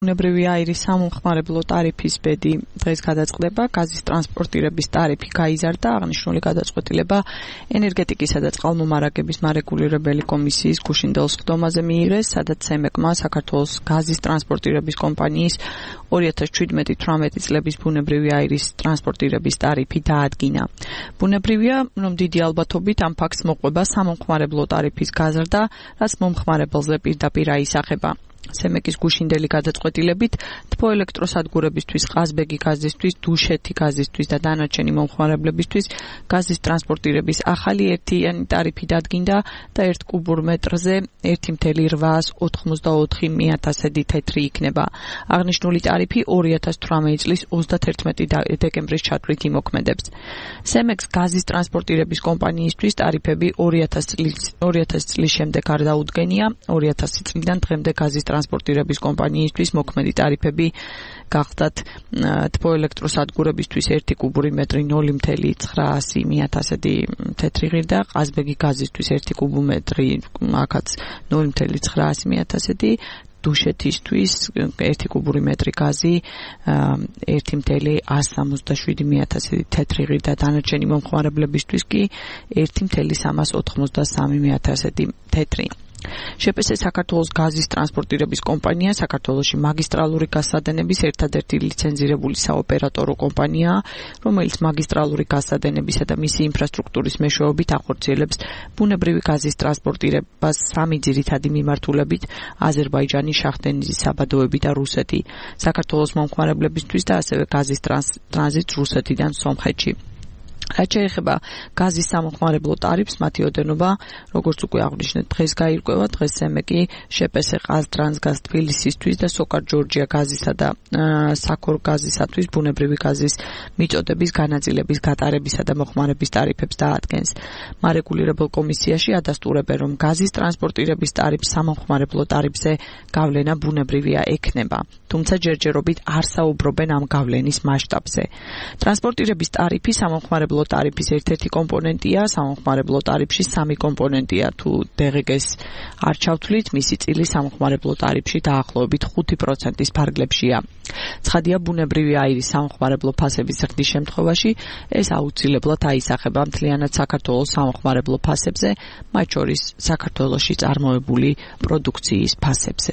ბუნებრივი აირის სამომხმარებლო ტარიფის ბედი დღეს გადაწყდება. გაზის ტრანსპორტირების ტარიფი გაიზარდა. აღნიშნული გადაწყვეტილება ენერგეტიკისა და წყალმომარაგების მარეგულირებელი კომისიის გუშინდელ სხდომაზე მიიღეს, სადაც CEMEC-მა საქართველოს გაზის ტრანსპორტირების კომპანიის 2017-18 წლების ბუნებრივი აირის ტრანსპორტირების ტარიფი დაადგინა. ბუნებრივია, რომ დიდი ალბათობით ამ ფაქტს მოყვება სამომხმარებლო ტარიფის გაზრდა, რაც მომხმარებელზე პირდაპირ აისახება. CEMEC-ის გუშინდელი გადაწყვეტილებით თბო ელექტროსადგურებისთვის, ყაზბეგი გაზისთვის, დუშეთი გაზისთვის და დანარჩენი მომხმარებლებისთვის გაზის ტრანსპორტირების ახალი ერთიანი ტარიფი დადგინდა და 1 კუბურ მეტრზე 1,884 თეთრი იქნება. აღნიშნული ტარიფი 2018 წლის 31 დეკემბრის ჩათვლით იმოქმედებს. CEMEC-ს გაზის ტრანსპორტირების კომპანიისთვის ტარიფები 2000 წლის შემდეგ არ დაუდგენია. 2000 წლიდან დღემდე გაზის ტრანსპორტირების კომპანიისთვის მოქმედი ტარიფები გახდათ თბო ელექტროსადგურებისთვის 1 კუბური მეტრი 0,910 თეთრი ღირდა, ყაზბეგი გაზისთვის 1 კუბურ მეტრი აქაც 0,910 დუშეთისთვის 1 კუბური მეტრი გაზი 1,177 თეთრი ღირდა, დანარჩენი მომხმარებლებისთვის კი 1,383 თეთრი. შეპესე საქართველოს გაზის ტრანსპორტირების კომპანია საქართველოში მაგისტრალური გაზსადენების ერთადერთი ლიცენზირებული საოპერატორო კომპანიაა, რომელიც მაგისტრალური გაზსადენებისა და მისი ინფრასტრუქტურის მეშვეობით ახორციელებს ბუნებრივი გაზის ტრანსპორტირებას სამი ძირითადი მიმართულებით: აზერბაიჯანი, შახტენიზი, საბადოები და რუსეთი, საქართველოს მომხმარებლებისთვის და ასევე გაზის ტრანზიტს რუსეთიდან სომხეთში. რაც შეეხება გაზის სამომხმარებლო ტარიფს, მათი ოდენობა, როგორც უკვე აღვნიშნეთ, დღეს გაირკვევა. დღეს CEMEC-ი შეპესე ყაზტრანსგაზ თბილისისთვის და სოკარ ჯორჯია გაზისა და საქორ გაზისათვის ბუნებრივი გაზის მიწოდების განაწილების გატარებისა და მოხმარების ტარიფებს დაადგენს. მარეგულირებელ კომისიაში ადასტურებენ, რომ გაზის ტრანსპორტირების ტარიფს სამომხმარებლო ტარიფზე გავლენა ბუნებრივია ექნება, თუმცა ჯერჯერობით არ საუბრობენ ამ გავლენის მასშტაბზე. ტრანსპორტირების ტარიფი სამომხმარებლო ტარიფის ერთ-ერთი კომპონენტია, სამომხმარებლო ტარიფში 3 კომპონენტია. თუ DGG-ს არ ჩავთვლით, მისი წილი სამომხმარებლო ტარიფში დაახლოებით 5%-ის ფარგლებშია. ცხადია, ბუნებრივი აირის სამომხმარებლო ფასების ზრდის შემთხვევაში ეს აუცილებლად აისახება მთლიანად საქართველოს სამომხმარებლო ფასებზე, მათ შორის საქართველოში წარმოებული პროდუქციის ფასებზე.